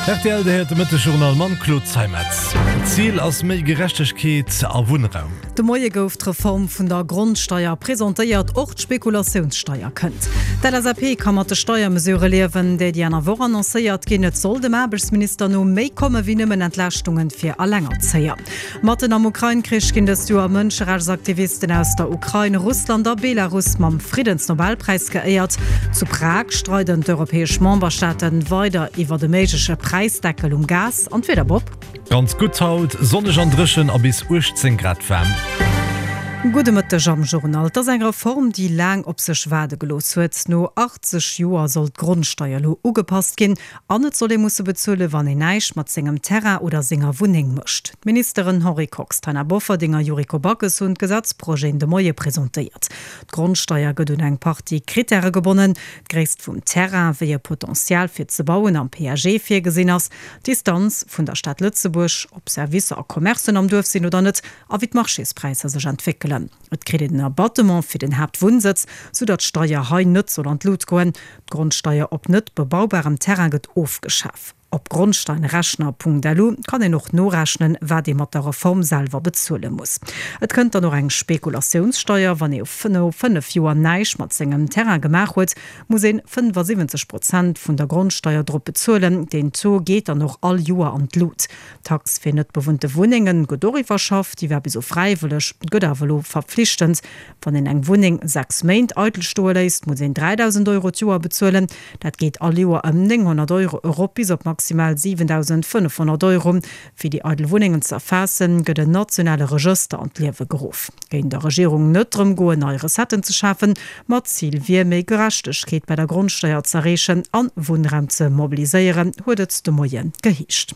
Rtl, Dir héiert de Mëttegjournal mam Claude Zeimetz. Zil ass méi Gerechtegkeet a Wunnraum. De Moie gouf d'Reform vun der Grondsteier presentéiert, och d'Spekulatiounssteier kënnt. D'LSAP ka mat de Steiermesurë liewen, déi déi aner Woch annoncéiert ginn. Et soll dem Aarbechtsminister no méi komme wéi nëmmen Entlaaschtunge fir Alengerzéier. Matten am Ukrain-Krich ginn dëst Joer Mënscherechtsaktivisten aus der Ukrain, Russland a Belarus mam Friddensnobelpräis geéiert. Zu Prag streiden d'europäesch Memberstaate weider iwwert e méigleche Präisdeckel um Gas. An d'Wieder, Bob? Ganz gutt haut, sonneg an dréchen a bis 18 Grad waarm. Gudde Mëtteg am Journal. Et ass eng Reform, déi laang op sech waarde gelooss huet. No 80 Joer soll d'Grondsteier elo ugepasst ginn. An et soll ee musse bezuelen, wann een näischt mat sengem Terrain oder senger Wunneng mécht. D'Ministeren Henri Kox, Taina Bofferding a Yuriko Backes hunn d'Gesetzprojeten de Moie presentéiert. D'Grondsteier gëtt un eng Partie Krittäre gebonnen, d'Gréisst vum Terrain, wéi e Potential fir ze bauen am PAG virgesinn ass, d'Distanz vun der Stad Lëtzebuerg, ob Servicer a Commercen am Duerf sinn oder net a wéi d'Marchéspräisser sech entwéckelen. Et kritt een en Abattement fir den Haaptwunnsëtz, sou datt d'Steier hei net soll an d'Lut goen. D'Grondsteier op net bebaubarem Terrain gëtt ofgeschaf. Op grondsteinrechner.lu kann een och norechnen, wat ee mat der Reform selwer bezuele muss. Et kënnt dann och eng Spekulatiounssteier, wann ee no 5 Joer näischt mat sengem Terrain gemaach huet, muss een 75 Prozent vun der Grondsteier drop bezuelen. Deen Taux geet dann och all Joer an d'Lut. D'Tax fir net bewunnte Wunnenge gëtt och iwwerschafft. Déi war bis elo fräiwëlleg, gëtt awer elo verpflichtend. Wann een eng Wunneng 6 Méint eidel stoe léisst, muss een 3.000 Euro d'Joer bezuelen. Dat geet all Joer ëm 900 Euro erop bis op maximal 7.500 Euro. Fir déi eidel Wunnengen ze erfaassen, gëtt en nationale Regëster an d'Liewe geruff. Géing der Regierung net drëm goen, nei Recetten ze schafen, ma d'Zil wier, méi Gerechtegkeet bei der Grondsteier z'erreechen an Wunnraum ze mobiliséieren, huet et de Moie geheescht.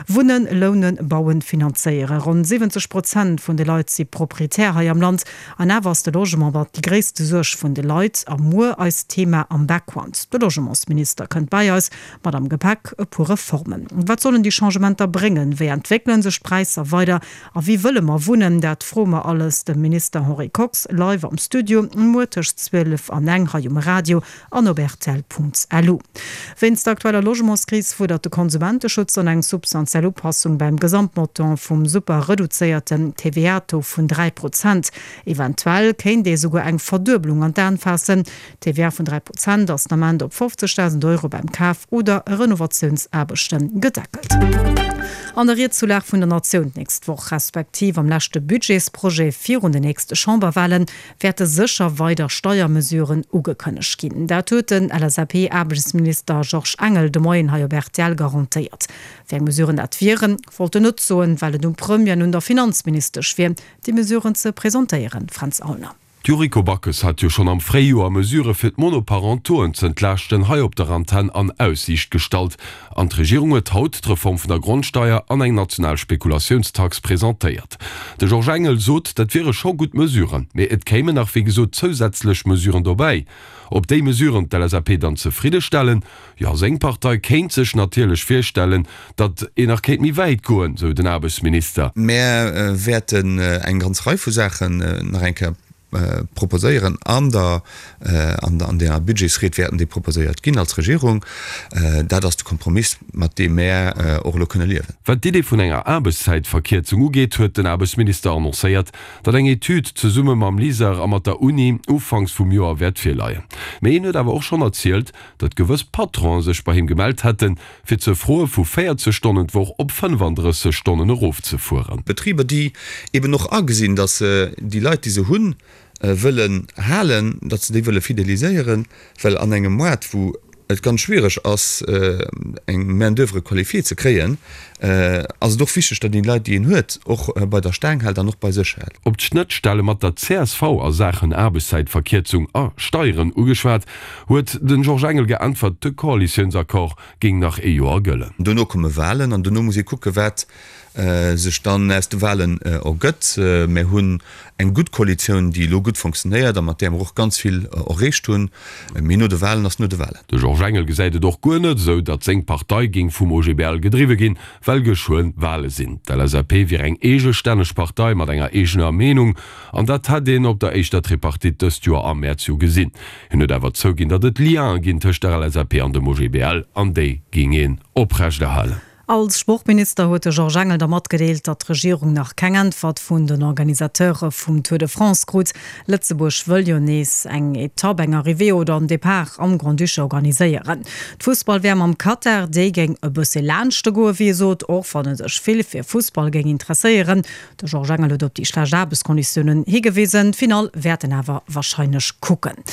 Wunnen, lounen, bauen, finanzéieren. Ronn 70 Prozent vun de Leit si Proprietär hei am Land. An awer ass de Logement mat déi gréisste Suerg vun de Leit. A muer eist Thema am Background. De Logementsminister kënnt bei eis mat am Gepäck e puer Reformen. Wat sollen déi Changementer bréngen? Wéi entwéckele sech d'Präisser weider? A wéi wëlle mer wunnen? Dat froe mer alles dem Minister Henri Kox live am Studio muer tëscht 12 an eng hei um Radio an op rtl.lu. Wéinst der aktueller Logementskris fuerdert de Konsumenteschutz dann eng substantiell Upassung beim Gesamtmontant vum super reduzéierten TVA-Taux vun 3 Prozent. Eventuell kéint ee souguer eng Verduebelung an d'An faassen. D'TVA vun 3 Prozent ass den Ament op 50.000 Euro beim Kaf oder Renovatiounsaarbechte gedeckelt. An der Ried zur Lag vun der Natioun d'nächst Woch, respektiv am leschte Budgetsprojet virun den nächste Chamberwahlen, wäerte sécher weider Steiermesuren ugekënnegt ginn. Dat huet den LSAP-Aarbechtsminister Georges Engel de Moien hei op rtl garantéiert. Wéi eng Mesuren dat wieren, wollt en net soen, well et um Premier an un der Finanzministesch wier, déi Mesuren ze presentéieren. Fränz Aulner. D'Yuriko Backes hat jo schonn am Fréijoer Mesurë fir d'Monoparentoen z'entlaaschten hei op der Antenn an Aussiicht gestallt. An d'Regierung huet haut d'Reform vun der Grondsteier an eng national Spekulatiounstax presentéiert. De Georges Engel sot, dat wiere scho gutt Mesuren, mee et kéimen nach wéi gesot zousätzlech Mesuren dobäi. Ob déi Mesuren d'LSAP dann zefridde stellen? Jo, seng Partei kéint sech natierlech virstellen, datt een nach kéint méi wäit goen, sou den Aarbechtsminister. Mär wäerten eng ganz Rei vu Saachen nach eng Kéier proposéieren an der an der Budgetsried wäerten déi proposéiert ginn als Regierung. Dat ass de Kompromiss, mat deem mär och elo kënne liewen. Wat d'Idee vun enger Aarbechtszäitverkierzung ugeet, huet den Aarbechtsminister annoncéiert, datt eng Etüd zesumme mam LISER a mat der Uni ufanks vum Joer wäert virleien. Mee hien huet awer och schonn erzielt, datt gewëss Patronen sech bei him gemellt hätten, fir ze froe vu 40 Stonnen d'Woch op 35 Stonnen erofzefueren. Betriber, déi eben och agesinn, datt se déi Leit, déi se hunn, wëllen halen, datt se déi wëlle fideliséieren, well an engem Moart, wou et ganz schwiereg ass, eng Main d'oeuvre qualifiée ze kréien, ass et och wichteg, datt een déi Leit, déi een huet, och bei der Staang hält an och bei sech hält. Op d'Schnëttstelle mat der csv a Saachen Aarbechtszäitverkierzung a Steieren ugeschwat, huet den Georges Engel geäntwert, de Koalitiounsaccord géing nach ee Joer gëllen. Dono komme Walen an dono muss ee kucke wat sech dann aus de Walen ergëtt. Mär hunn eng gutt Koalitioun, déi elo gutt fonctionnéiert a mat där mer och ganz vill erreecht hunn. Mee no de Walen ass no de Walen. De Georges. Georges Engel gesäit et och guer net esou, datt seng Partei géing vum OGBL gedriwwe ginn, well geschwë Wale sinn. D'LSAP wier eng eegestänneg Partei mat enger eegener Meenung an dat hätt een op der éischter Tripartite dëst Joer am Mäerz jo gesinn. Hien huet awer zouginn, datt et Liene ginn tëscht der LSAP an dem OGBL an déi géing een oprechterhalen. Als Sportminister huet de Georges Engel da matgedeelt, datt d'Regierung nach keng Äntwert vun den Organisateure vum Tour de France krut. Lëtzebuerg wëll jo nees eng Etapp, eng Arrivée oder en Depart am Grand-Duché organiséieren. D'Fussball-WM am Katar, déi géing e bësse laanschte goen, wéi e sot, och wann e sech vill fir Fussball géing interesséieren. De Georges Engel huet op déi schlecht Aarbechtskonditiounen higewisen. D'Finall wäert en awer warscheinlech kucken.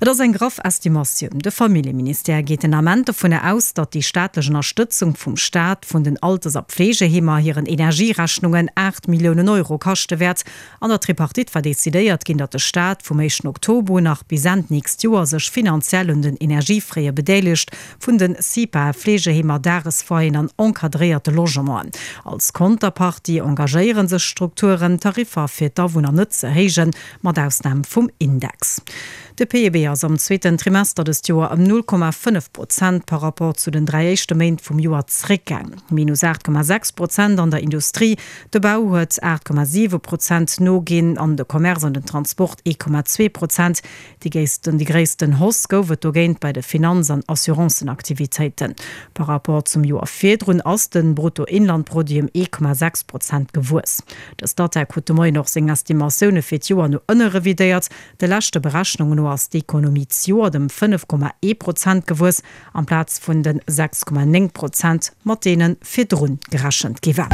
Et ass eng graff Estimatioun. De Familljeministère geet den Ament dovunner aus, datt déi staatlech Ënnerstëtzung vum Staat vun den Alters a Pflegeheemer hiren Energierechnungen 8 Milliounen Euro kaschte wäert. An der Tripartite war decidéiert ginn, datt de Staat vum éischten Oktober un nach bis Enn d'nächst Joer sech finanziell un den Energiefraie bedeelegt vun den CIPAe, Fleegeheemer, Dagesfoyeren an encadréierte Logementen. Als Konterpartie engagéiere sech d'Strukturen, d'Tariffer fir d'Awunner net ze héijen, mat Ausnam vum Index. De PIB ass am zweeten Trimester dëst Joer ëm 0,5 Prozent par rapport zu den 3 éischte Méint vum Joer zréckgaang, minus 8,6 Prozent an der Industrie, de Bau huet 8,7 Prozent noginn an de Commerce an den Transport 1,2 Prozent. Déi géisten déi gréissten Hausse gouf et dogéint bei de Finanz an Assurancenaktivitéiten. Par rapport zum Joer virdrun ass de Bruttoinlandproduit ëm 1,6 Prozent gewuess. De Statec huet de Moien och seng Estimatioune fir d'Joer no ënne revidéiert. De leschte Berechnungen no ass d'Ekonomie d'Joert ëm 5,1 Prozent gewuess, amplaz vun de 6,9 Prozent, mat deene virdrun gerechent gi war.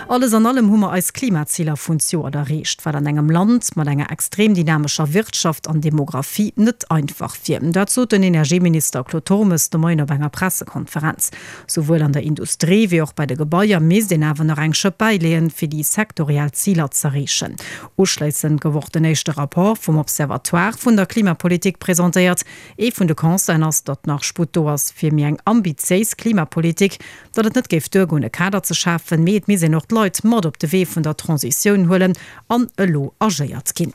Alles an allem hu mer eis Klimaziler vun d'Joert erreecht, wat an engem Land mat enger extrem dynamescher Wirtschaft an Demographie net einfach wier. Dat sot den Energieminister Claude Turmes de Moien op enger Pressekonferenz. Souwuel an der Industrie wéi och bei de Gebaier misst een awer nach eng Schëpp bäileeën, fir déi sektoriell Ziler z'erreechen. Uschléissend gouf och den éischte Rapport vum Observatoire vun der Klimapolitik presentéiert. Ee vun de Constaten ass, datt nach Sputt do ass fir méi eng ambitiéis Klimapolitik, datt et net géif duergoen, e Kader ze schafen, mee et misst een och d'Leit mat op de Wee vun der Transitioun huelen an elo agéiert ginn.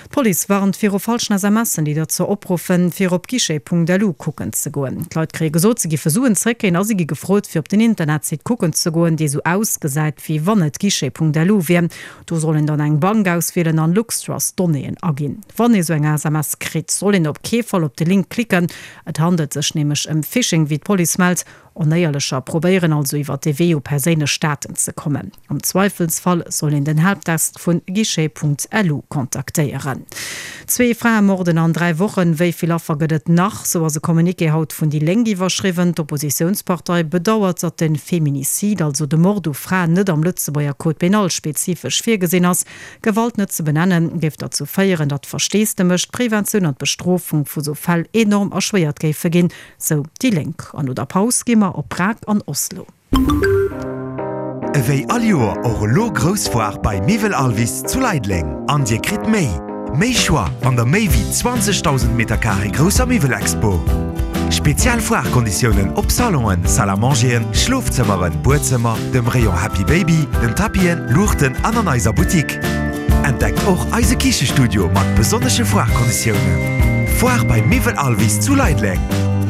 D'Police warnt viru falschen SMSen, déi derzou opruffen, fir op guichet.lu kucken ze goen. D'Leit kréie gesot, se giffe Suen zréckkréien a si gi gefrot, fir op den Internetsite kucken ze goen, dee sou ausgesäit, wéi wann et guichet.lu wier. Do soll een dann eng Bank auswielen an Luxtrust-Donnéeën aginn. Wann ee sou eng SMS kritt, soll een op kee Fall op de Link klicken. Et handelt sech nämlech ëm Phishing, wéi d'Police mellt. Onéierlecher probéieren also iwwer dee Wee u perséinlech Daten ze kommen. Am Zweifelsfall soll een den Helpdesk vun guichet.lu kontaktéieren. Zwee Fraemorden an 3 Wochen, wéi vill Affer gëtt et nach? Sou ass e Communiqué haut vun déi Lénk iwwerschriwwen. D'Oppositiounspartei bedauert, datt de Feminicide, also de Mord u Fraen, net am Lëtzebuerger Code pénal spezifesch virgesinn ass. Gewalt net ze benennen, géif derzou féieren, datt d'Versteesdemech, d'Preventioun an d'Bestrofung vu sou Fäll enorm erschwéiert géife ginn, sou déi Lénk. An no der Paus gi mer op Prag an Oslo. Ewéi all Joer och elo grouss Foire bei Miwwel Alvis zu Leideleng an dir kritt méi, méi Choix an der méi wéi 20.000 Metercarré grousser Miwwelexpo. Spezial Foire-Konditiounen op Salonen, Salle à mangeren, Schlofzëmmeren, Buedzëmmer, dem Rayon Happy Baby, den Tapisen, Luuchten an an eiser Boutique. Entdeckt och eise Kichestudio mat besonnesche Foire-Konditiounen. Foire bei Miwwel Alvis zu Leideleng.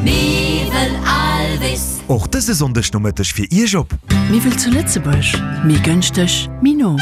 Miwwel Alvis. Och dëse Sonndeg Nomëtteg fir Iech op. Miwwel zu Lëtzebuerg, méi gënschteg, méi no.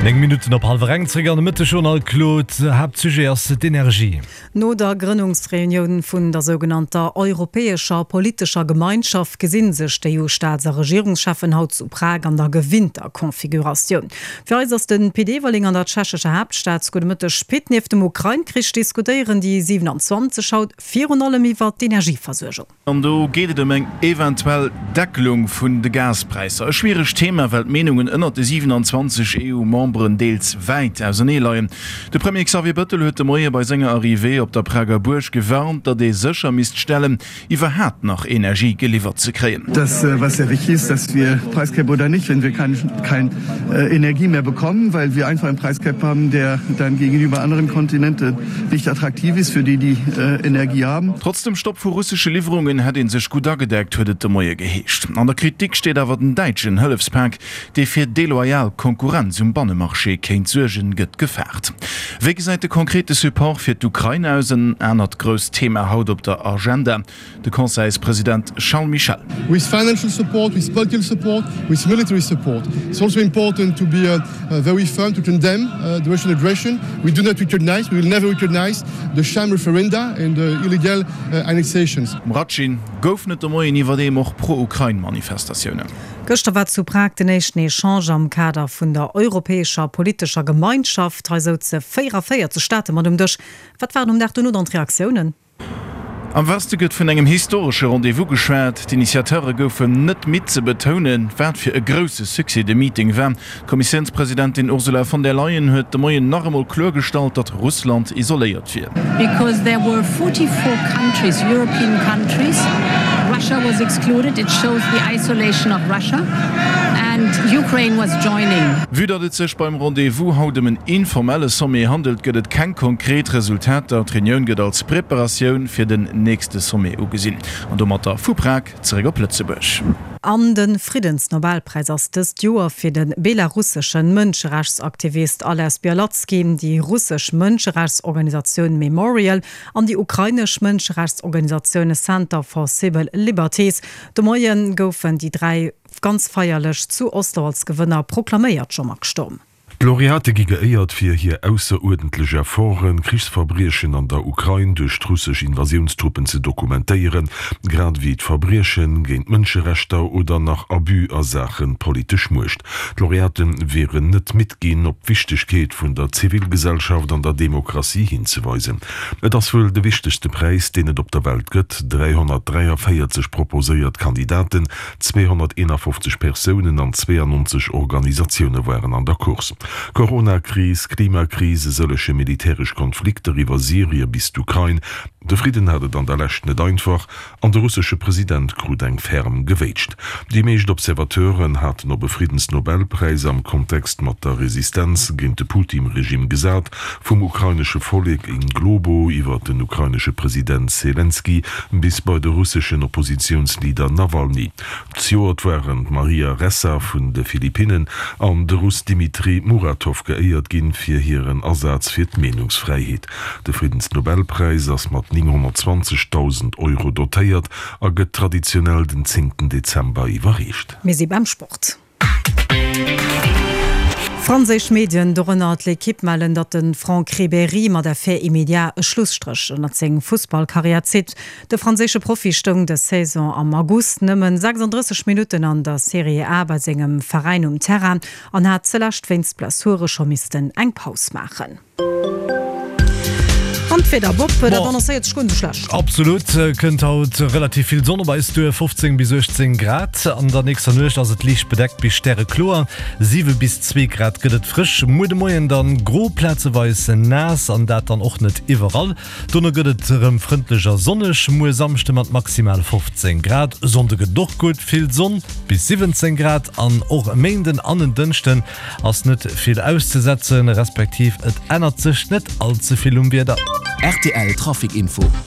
9 Minutten op hallwer eng, zréck an de Mëttegjournal, Claude. Haaptsujet ass d'Energie. No der Grënnungsreunioun vun der sougenannter Europäescher politescher Gemeinschaft gesinn sech d'EU-Staats a Regierungscheffen haut zu Prag an der gewinnter Configuratioun. Fir eis ass de Pit Everling an der tschechescher Haaptstad. Gudde Mëtteg Pit. Nieft dem Ukrain-Krich diskutéieren déi 27 haut virun allem iwwer d'Energieversuergung. An do geet et ëm eng eventuell Deckelung vun de Gaspräisser. E schwieregt Thema, well d'Meenungen ënnert de 27 EU-Memberen deels wäit ausernee leien. De Premier Xavier Bëttel huet de Moie bei senger Arrivée op der Prager Buerg gewarnt, datt ee sécher misst stellen, iwwerhaapt nach Energie geliwwert ze kréien. Das was sehr wichtig ist, dass wir Preiscap oder nicht, wenn wir kein kein Energie mehr bekommen, weil wir einfach einen Preiscap haben, der dann gegenüber anderen Kontinente nicht attraktiv ist für die, die Energie haben. Trotz dem Stopp vu russesche Liwwerungen hätt ee sech gutt agedeckt, huet et de Moie geheescht. An der Kritik steet awer den däitschen Hëllefspak, dee fir deloyal Konkurrenz um Bannemarché. Energiemarché kéint suergen, gëtt gefaart. Wéi gesäit de konkrete Support fir d'Ukrain aus? En anert grousst Thema haut op der Agenda, de Conseilspresident Charles Michel. With financial support, with political support, with military support. It's also important to be very firm to condemn the Russian aggression. We do not recognize, we will never recognize the sham referenda and the illegal annexations. Um Ratschin goufen et de Moien iwwerdeem och Pro-Ukrain-Manifestatiounen. Gëschter war zu Prag den éischten Echange am Kader vun der Europäescher politescher Gemeinschaft. Hei souze 44 Staate mat um Dësch. Wat waren um Dag dono dann d'Reaktiounen? Am Weste gëtt vun engem historesche Rendez-vous geschwat. D'Initiateure goufen net midd ze betounen, wat fir e grousse Succès de Meeting war. D'Kommissiounspresidentin Ursula von der Leyen huet de Moien nach emol kloergestallt, datt Russland isoléiert wier. Because there were 44 countries, European countries, Russia was excluded, it shows the isolation of Russia and Ukraine was joining. Vue datt et sech beim Rendez-vous haut ëm en informelle Sommet handelt, gëtt et keng konkret Resultater. D'Reunioun gëtt als Preparatioun fir den nächste Sommet ugesinn. An domatter vu Prag zeréck op Lëtzebuerg. An de Friddensnobelpräis ass dëst Joer fir de belarusseschen Mënscherechtsaktivist Ales Bialatski, déi russesch Mënscherechtsorganisatioun Memorial an déi ukrainesch Mënscherechtsorganisatioun Center for Civil Liberties. De Moie goufen déi 3 ganz feierlech zu Oslo als Gewënner proklaméiert. Jean-Marc Sturm. D'Laureate gi geéiert fir hir ausseruerdentlech Efforten, Krichsverbriechen an der Ukrain duerch d'russesch Invasiounstruppen ze dokumentéieren, grad ewéi d'Verbrieche géint d'Mënscherechter oder nach Abus a Saache politesch Muecht. D'Laureate wieren net midd ginn, op d'Wichtegkeet vun der Zivilgesellschaft an der Demokratie hinzeweisen. Et ass wuel de wichtegste Präis, deen et op der Welt gëtt, 343 proposéiert Kandidaten, 251 Persounen an 92 Organisatioune waren an der Course. Corona-Kris, Klimakris, e sëllege militäresch Konflikter iwwer Syrie bis d'Ukrain, de Fridden hat et an der Lescht net einfach an de russesche President krut eng ferm gewéitscht. Déi meescht Observateuren haten op e Friddensnobelpräis am Kontext mat der Resistenz géint de Putin-Regime gesat, Vum ukrainesche Vollek in globo iwwer den ukrainesche President Selenskyj bis bei de russeschen Oppositiounsleader Nawalny. Zejoert waren d'Maria Ressa vun de Philippinnen an de Russ Dmitri Muratov geéiert ginn fir hiren Asaz fir d'Meenungsfräiheet. De Friddensnobelpräis ass mat 920.000 Euro dotéiert a gëtt traditionell den zéngten Dezember iwwerreecht. Mir si beim Sport. Franséisch Medien, dorënner d'L'Equipe, mellen, datt de Franck Ribéry mat Effet immédiat e Schlusstréch ënnert seng Fussballkarriär zitt. De franséische Profi stoung dës Saison am August nëmmen 36 Minutten an der Serie A bei sengem Veräin um Terrain an hat zelescht wéinst Blessure scho missten eng Paus maachen. An d'Wieder, Bob, dat annoncéiert sech guer net esou schlecht. Absolut, kënnt haut relativ vill Sonn op eis duer, 15 bis 18 Grad. An der nächster Nuecht ass et liicht bedeckt bis stärekloer, 7 bis 2 Grad gëtt et frësch. Muer de Moien dann gro, plazeweis naass an dat dann och net iwwerall. Dono gëtt et erëm frëndlech a sonneg, muer Samschde mat maximal 15 Grad. E Sonnde gëtt et och gutt, vill Sonn bis 17 Grad an och e Méinden an en Dënschden Ass net vill auszesetzen, respektiv et ännert sech net all ze vill um Wieder. Rtl Trafic Info.